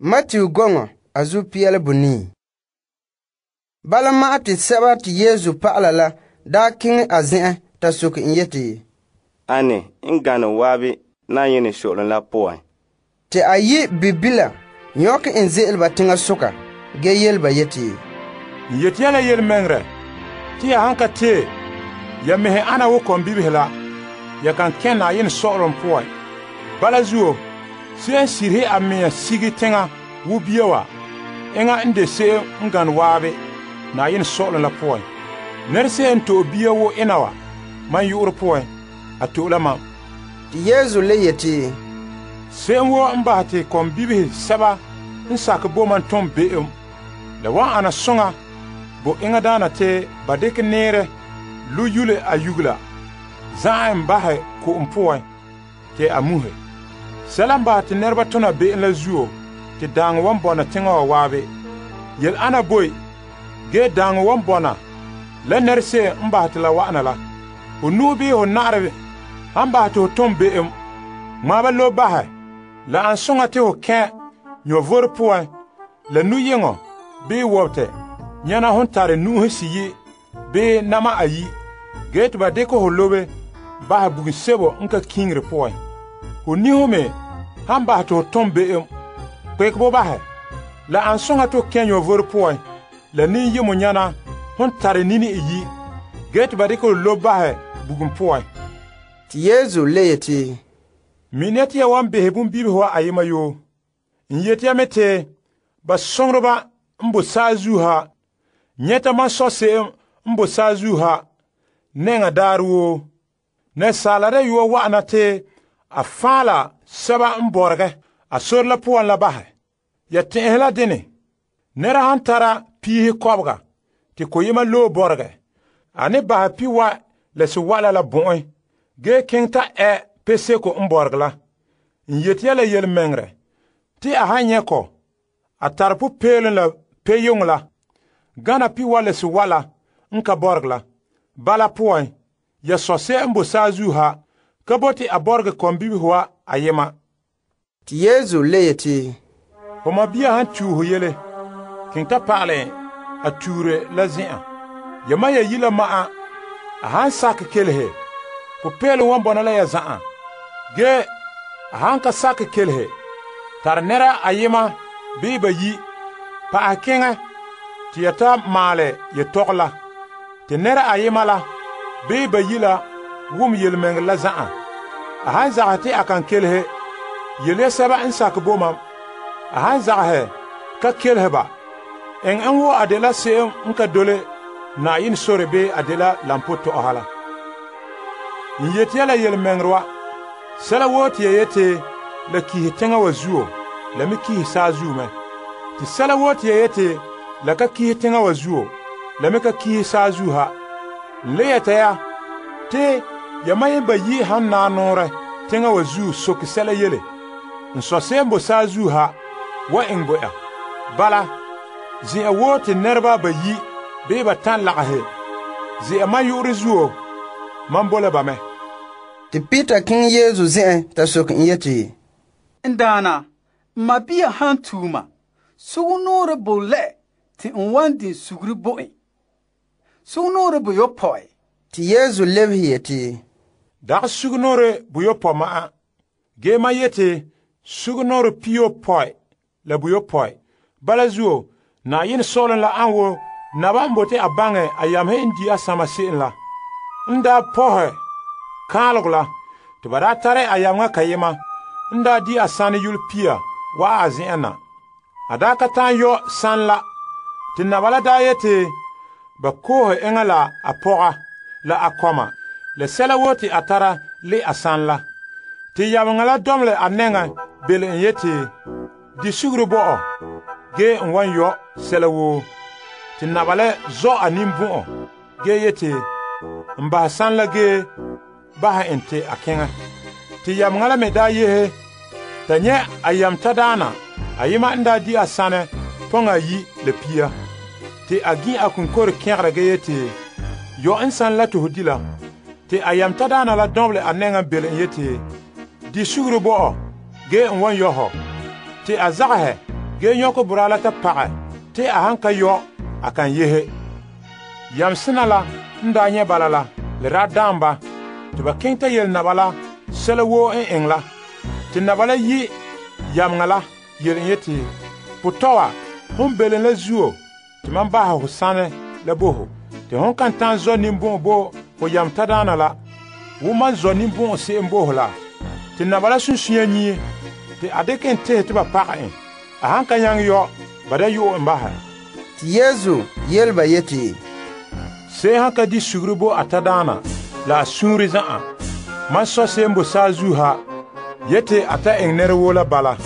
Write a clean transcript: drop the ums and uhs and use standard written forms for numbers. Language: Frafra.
Matthew gɔŋɔ a zu piɛle bonii. Bala ma'an te sɛba te Yesu pa'ala la daa keŋɛ a zen'en ta soke en yeti, Ane n gane waabe Na'ayenɛ so'olom la poan? Te a yi' bibila nyɔkɛ en ze'ele ba teŋasoka ge yele ba yeti, N yeti ya la yelemɛŋɛrɛ te ya han ka tee ya mɛhe ana wo kɔmbibihe la, ya kan kɛn Na'ayenɛ sɔ'ɔlom poan. Bala zuo, se'em sirihe a mea sige teŋa wo bia wa, enŋa n de se'em n gane waabe Na'ayenɛ sɔ'ɔlom la poan. Nɛra se'em n to'e bia wo ena wa mam yu'urɛ poan, a to'e la mam. Te Yesu le yeti, Se'em woo n bahɛ te kɔmbibihe sɛba n sakɛ bo mam tom be'em, la wan ana soŋa bo enŋadaana te ba dekɛ neerɛ lo yule a yugula, za'an en bahɛ ko'om poan te a muhe. Sɛla n bahɛ te nɛreba tona be'em la zuo te daaŋɔ wan bɔna teŋa wa waabe. Yele ana boe, ge daaŋɔ wan bɔna la nɛra se'em n bahɛ te la wa'ana la. Ho nu'o bii ho na'arɛ han bahɛ te ho tom be'em, ŋmaa ba lo bahɛ. La an soŋa te ho kɛn nyɔvore poan la nuyeŋɔ bii wɔbetɛ nyɛna hon tare nu'uhe siyi bii nama ayi, ge te ba dekɛ ho lobe bahɛ bugum sebo n ka kiŋire poan. Ho niho me han bahɛ te ho tom be'em, kpekɛ bo bahɛ. La an soŋa te ho kɛn nyɔvore poan la ninyemo nyɛna hon tare nini iyi, ge te ba dekɛ ho lobe bahɛ bugum poan. Te Yesu le yeti, Mine te ya wan behe bonbibihe wa ayema yoo. N yeti ya me te ba soŋoreba n bo saazuo ha nyɛta mam Sɔ se'em n bo saazuo ha nɛŋa daarɛ woo. Asaala Dayɔa wa'ana te a faala sɛba n bɔregɛ a sore la poan la bahɛ. Ya tɛn'ɛhe la dene, nɛra han tara piihe kɔbega te koyema loe bɔregɛ, a ne bahɛ piwa la sewa'ala la bɔ'en ge keŋɛ ta peseko n bɔregɛ la. N yeti ya la yelemɛŋɛrɛ te a han nyɛ kɔ, a tare popeelom la peyoŋɔ la gana piwa la sewa'ala n ka bɔregɛ la. Bala poan, ya Sɔ se'em n bo saazuo ha ka bote a bɔregɛ kɔmbibihe wa ayema. Te Yesu le yeti, Ho mabia han tue ho yele, keŋ ta pa'alɛ a tuure la zen'an. Yamam ya yi la ma'an, a han sakɛ kelehe, popeelom wan bɔna la ya za'an. Ge a han ka sakɛ kelehe, tare nɛra ayema bii bayi, pa'ahɛ keŋɛ te ya ta maalɛ yetɔgɔ la, te nɛra ayema la bii bayi la wum yelemɛŋɛrɛ la za'an. A han zagahɛ te a kan kelehe, yele ya sɛba n sakɛ bo mam. A han zagahɛ ka kelehe ba, eŋɛ en wo a dela se'em n ka dole Na'ayenɛ sore bii a dela lampo tɔ'ɔha la. N yeti ya la yelemɛŋɛrɛ wa, sɛla woo te ya yete la kihe teŋa wa zuo, la me kihe saazuo mɛ. Te sɛla woo te ya yete la ka kihe teŋa wa zuo, la me ka kihe saazuo ha. N le yɛta ya te yamam yen bayi han naa noorɛ teŋa wa zuo soke sɛla yele, n Sɔ se'em bo saazuo ha wa eŋɛ bo ya. Bala, zen'an woo te nɛreba bayi bii ba tan lagahe ze'a mam yu'urɛ zuo, mam bo la ba mɛ. Te Peter keŋɛ Yesu zen'en ta soke en yeti, N daana, n mabia han tuuma, sugumnoorɛ bo lɛ te n wan din suguri bo en. Sugumnoorɛ boyopɔe. Te Yesu lebehe yeti, Dagɛ sugumnoorɛ boyopɔe ma'an, ge mam yeti sugumnoorɛ piyopɔe la boyopɔe. Bala zuo, Na'ayenɛ sɔ'ɔlom la an wo naba n bote a baŋɛ a yamehe n di a sama se'em la. N daa pɔhɛ kaalego la, te ba daa tare a yameŋa kayema n daa di a sanɛ yule pia wa'a a zen'an na. A daa ka ta'an yɔ sanɛ la, te naba la daa yeti ba koohe eŋa la a pɔga la a kɔma la sɛla woo te a tara le a sanɛ la. Te yameŋa la dɔmele a nɛŋa bele n yeti, di suguru bo'ɔ, ge n wan yɔ sɛla woo. Te naba la zɔ a ninbɔ'ɔ ge yeti, n bahɛ sanɛ la ge bahɛ en te a keŋɛ. Te yameŋa la me daa yehe ta nyɛ a yam tadaana ayema n daa di a sanɛ pɔŋa ayi la pia. Te a gin a kunkore kɛgera ge yeti, yɔ n sanɛ la te ho di la. Te a yam tadaana la dɔnbele a nɛŋa bele n yeti, di suguru bo'ɔ ge n wan yɔ hɔ. Te a zagahɛ ge nyɔkɛ boraa la ta pagɛ te a han ka yɔ a kan yehe. Yamsena la n daa nyɛ bala la, le daa daam ba te ba keŋɛ ta yele naba la sɛla woo n eŋɛ la. Te naba la yi' yameŋa la yele en yeti, potɔ wa, hon belom la zuo te mam bahɛ ho sanɛ la bo ho, te hon kan ta'an zɔ ninbɔn'ɔn bo ho yam tadaana la, wo mam zɔ ninbɔn'ɔn se'em bo ho la. Te naba la sunsunya nyie, te a dekɛ en tehɛ te ba pagɛ en. A han ka nyaŋɛ yɔ, ba da yo'o en bahɛ. Te Yesu yele ba yeti, Se'em han ka di suguru bo a tadaana la a suunre zan'an, mam Sɔ se'em bo saazuo ha yete a ta eŋɛ nɛra woo la bala.